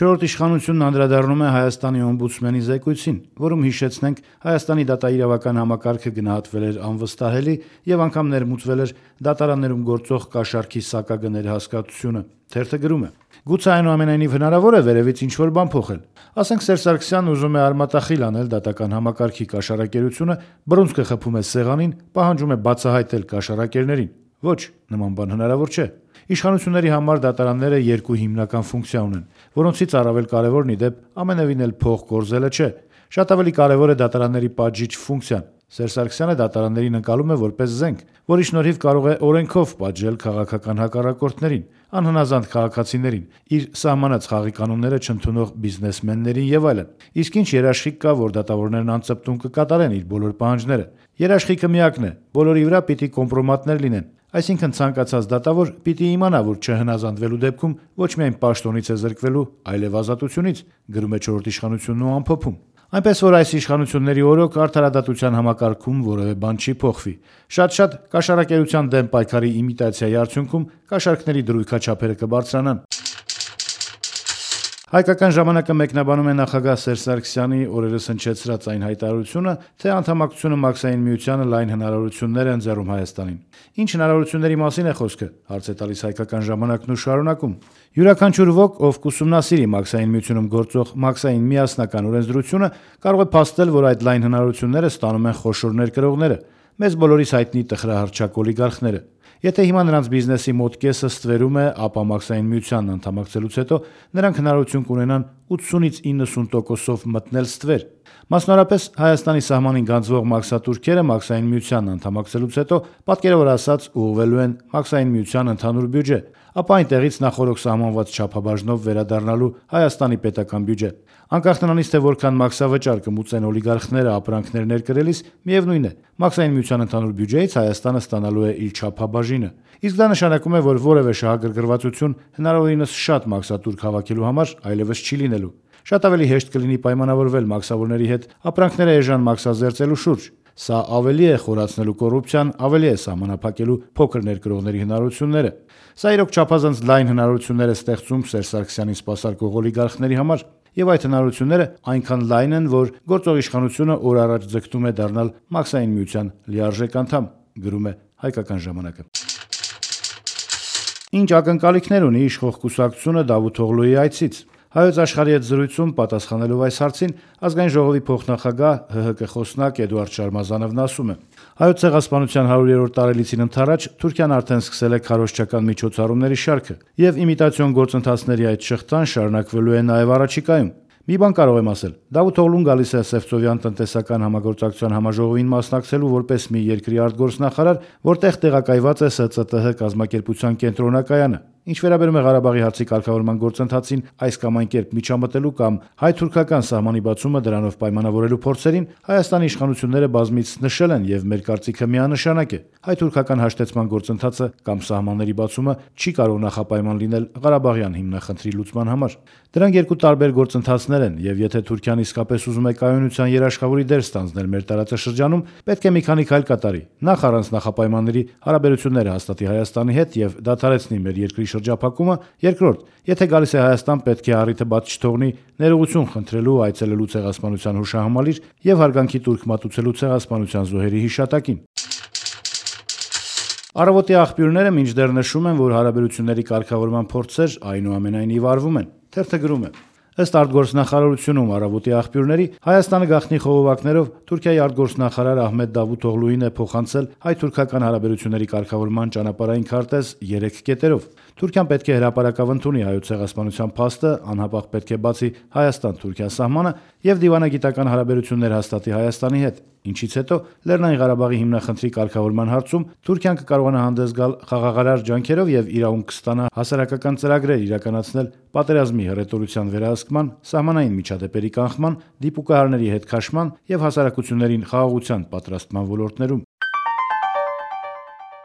Չորրորդ իշխանությունն անդրադառնում է Հայաստանի օմբուդսմենի զեկույցին, որում հիշեցնենք Հայաստանի դատաիրավական համակարգը գնահատվել էր անվստահելի եւ անգամ ներմուծվել էր դատարաններում գործող կաշառքի սակագների հասկացությունը։ Թերթը գրում է. Գուցե այնուամենայնիվ հնարավոր է վերևից ինչ-որ բան փոխել։ Ասենք Սերժ Սարգսյանն ուզում է արմատախիլ անել դատական համակարգի կաշառակերությունը, բռունցքը խփում է սեղանին, պահանջում է բացահայտել կաշառակերներին։ Ոչ, նման բան հնարավոր չէ։ Իշխանությունների համար դատարանները երկու հիմնական ֆունկցիա ունեն, որոնցից առավել կարևորն ի դեպ ամենևին էլ փող կորզելը չէ։ Շատ ավելի կարևոր է դատարանների պատժիչ ֆունկցիան։ Սերժ Սարգսյանը դատարաններին ընկալում է որպես զենք, որի շնորհիվ կարող է օրենքով պատժել քաղաքական հակառակորդներին, անհնազանդ քաղաքացիներին, իր սահմանած խաղի կանոնները չընդունող բիզնեսմեններին եւ այլն։ Իսկ ինչ երաշխիք կա, որ դատավորներն անձպտուն կկատարեն իր բոլոր պահանջները։ Երաշխիքը միակն է՝ բոլորի վրա պիտի կոմպրոմատներ լինեն։ Այսինքն ցանկացած դատավոր պիտի իմանա, որ չհնազանդվելու դեպքում ոչ միայն պաշտոնից է զրկվելու, այլև ազատությունից, գրում է չորրորդ իշխանությունն ու ամփոփում։ Այնպես որ այս իշխանությունների օրոք արդարադատության համակարգում որևէ բան չի փոխվի։ Շատ-շատ կաշառակերության դեմ պայքարի իմիտացիայի արդյունքում կաշառքների դրույքաչափերը կբարձրանան։ Հայկական ժամանակը մեկնաբանում է նախագահ Սերժ Սարգսյանի օրերս հնչեցրած այն հայտարարությունը, թե անդամակցությունը Մաքսային միությանը լայն հնարավորություններ է ընձեռում Հայաստանին։ Ինչ հնարավորությունների մասին է խոսքը, հարց է տալիս Հայկական ժամանակն ու շարունակում։ Յուրաքանչյուր ոք, ով կուսումնասիրի Մաքսային միությունում գործող Մաքսային միասնական օրենսդրությունը, կարող է փաստել, որ այդ լայն հնարավորությունները ստանում են խոշոր ներկրողները, մեզ բոլորիս հայտնի տխրահռչակ օլիգարխները։ Եթե հիմա նրանց բիզնեսի մոտ կեսը ստվերում է, ապա Մաքսային միությանն անդամակցելուց հետո նրանք հնարավորություն կունենան 80-ից 90%-ով մտնել ստվեր։ Մասնավորապես Հայաստանի սահմանին գանձվող մաքսատուրքերը Մաքսային միությանն անդամակցելուց հետո պատկերավոր ասած ուղղվելու են Մաքսային միության ընդհանուր բյուջե, ապա այնտեղից նախորոք սահմանված չափաբաժնով վերադառնալու Հայաստանի պետական բյուջե։ Անկախ նրանից, թե որքան մաքսավճար կմուծեն օլիգարխները ապրանքներ ներկրելիս, միևնույն է, Մաքսային միության ընդհանուր բյուջեից Հայաստանը ստանալու է իր չափաբաժինը։ Իսկ դա նշանակում է, որ որևէ շահագրգռվածություն հնարավորինս շատ մաքսատուրք հավաքելու համար այլևս չի լինելու։ Շատ ավելի հեշտ կլինի պայմանավորվել մաքսավորների հետ ապրանքները էժան մաքսազերծելու շուրջ։ Սա ավելի է խորացնելու կոռուպցիան, ավելի է սահմանափակելու փոքր ներկրողների հնարավորությունները։ Սա իրոք չափազանց լայն հնարավորություններ է ստեղծում Սերժ Սարգսյանին սպասարկող օլիգարխների համար, եւ այդ հնարավորությունները այնքան լայն են, որ գործող իշխանությունը օր առաջ ձգտում է դառնալ Մաքսային միության լիարժեք անդամ, գրում է Հայկական ժամանակը։ Ինչ ակնկալիքներ ունի իշխող կուսակցությունը Դավութ Օղլուի այցից։ Հայոց աշխարհի հետ զրույցում պատասխանելով այս հարցին ազգային ժողովի փոխնախագահ ՀՀԿ խոսնակ Էդուարդ Շարմազանովն ասում է. Հայոց ցեղասպանության 100-րդ տարելիցին ընթരാճ Թուրքիան արդեն սկսել է քարոզչական միջոցառումների շարքը, եւ իմիտացիոն գործընթացների այդ շղթան շարունակվելու է նաեւ առաջիկայում։ Մի բան կարող եմ ասել. Դավութ Օղլուն գալիս է Սևծովյան տնտեսական համագործակցության համաժողովին մասնակցելու որպես մի երկրի արտգործնախարար, որտեղ տեղակայված է ՍԾՏՀ կազմակերպության կենտրոնակայանը։ Ինչ վերաբերում է Ղարաբաղի հարցի կարգավորման գործընթացին այս կամ այն կերպ միջամտելու կամ հայ-թուրքական սահմանի բացումը դրանով պայմանավորելու փորձերին, Հայաստանի իշխանությունները բազմիցս նշել են եւ մեր կարծիքը միանշանակ է. հայ-թուրքական հաշտեցման գործընթացը կամ սահմանների բացումը չի կարող նախապայման լինել Ղարաբաղյան հիմնախնդրի լուծման համար։ Դրանք երկու տարբեր գործընթացներ են, եւ եթե Թուրքիան իսկապես ուզում է կայունության երաշխավորի դեր ստանձնել մեր տարածաշրջանում, պետք է մի քանի քայլ կատարի։ Նախ առանց նախապայմանների հարաբերությունները հաստատի Հայաստանի հետ եւ դադարեցնի մեր երկրի շրջափակումը, երկրորդ, եթե գալիս է Հայաստան, պետք է առիթը բաց չթողնի ներողություն խնդրելու, այցելելու ցեղասպանության հուշահամալիր եւ հարգանքի տուրք մատուցելու ցեղասպանության զոհերի հիշատակին։ Առավոտի աղբյուրները մինչդեռ նշում են, որ հարաբերությունների կարգավորման փորձեր այնուամենայնիվ արվում են։ Թերթը գրում է. Ըստ արտգործնախարարությունում Առավոտի աղբյուրների Հայաստանը գաղտնի խողովակներով Թուրքիայի արտգործնախարար Ահմեդ Դավութ Օղլուին է փոխանցել հայ-թուրքական հարաբերությունների կարգավորման ճանապարհային քարտեզ 3 կետերով։ Թուրքիան պետք է հրապարակավ ընդունի հայոց ցեղասպանության փաստը, անհապաղ պետք է բացի Հայաստան-Թուրքիա սահմանը եւ դիվանագիտական հարաբերություններ հաստատի Հայաստանի հետ, ինչից հետո Լեռնային Ղարաբաղի հիմնախնդրի կարգավորման հարցում Թուրքիան կկարողանա հանդես գալ խաղաղարար ջանքերով եւ իրավունք կստանա հասարակական ծրագրեր իրականացնել պատերազմի հռետորության վերահսկման, սահմանային միջադեպերի կանխման, դիպուկահարների հետ քաշման եւ հասարակություններին խաղաղության պատրաստման ոլորտներում։